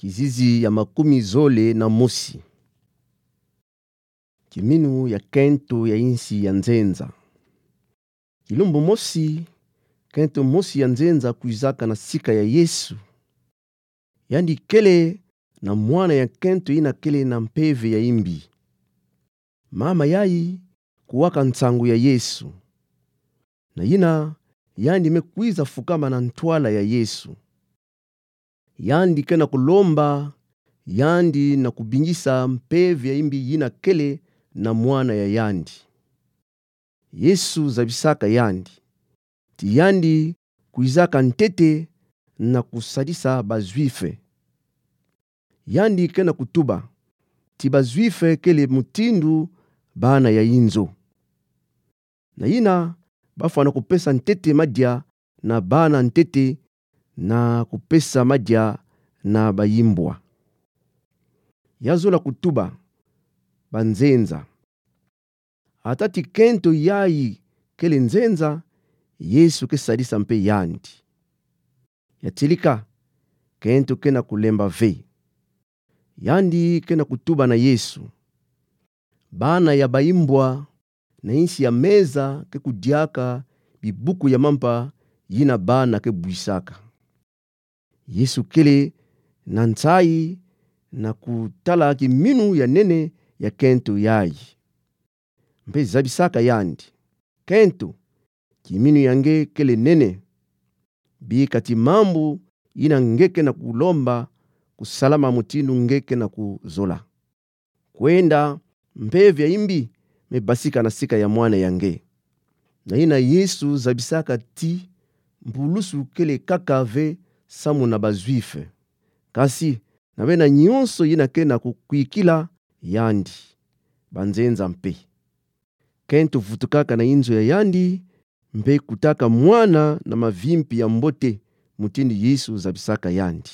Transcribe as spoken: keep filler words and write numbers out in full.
Kizizi ya makumi zole na mosi. Kiminu ya kento ya insi ya nzenza. Kilumbu mosi, kento mosi ya nzenza kwizaka na sika ya Yesu. Yandi kele na mwana ya kento ina kele na mpeve ya imbi. Mama yayi kuwaka nsangu ya Yesu. Na ina, yandi me kwiza fukama na ntwala ya Yesu. Yandi kena kulomba yandi na kubingisa mpeve ya imbi ina kele na mwana ya yandi. Yesu zabisaka yandi ti yandi kwizaka ntete na kusadisa ba Juifs. Yandi kena kutuba ti ba Juifs kele mutindu bana ya inzo. Na ina, bafwana kupesa ntete madia na bana ntete na kupesa madia na bayimbwa. Yazola kutuba ba nzenza. Ata ti kento yayi kele nzenza, Yesu ke sadisa mpe yandi. Ya tilika, kento kena kulemba ve. Yandi kena kutuba na Yesu. Bana ya bayimbwa na insi ya meza ke kudiaka bibuku ya mampa yina bana ke bwisaka. Yesu kele na nsayi na kutala kiminu ya nene ya kento yayi. Mpe zabisaka yandi: Kento, kiminu ya nge kele nene. Bika ti mambu yina nge kena kulomba kusalama mutindu nge kena kuzola. Kwenda, mpeve ya imbi me basika na sika ya mwana ya nge. Na ina Yesu zabisaka ti mpulusu kele kaka ve samu na ba Juifs, kasi na bena nyonso yina kena kukwikila yandi, ba nzenza mpe. Kento vutukaka na inzo ya yandi, mpe kutaka mwana na mavimpi ya mbote, mutindu Yesu zabisaka yandi.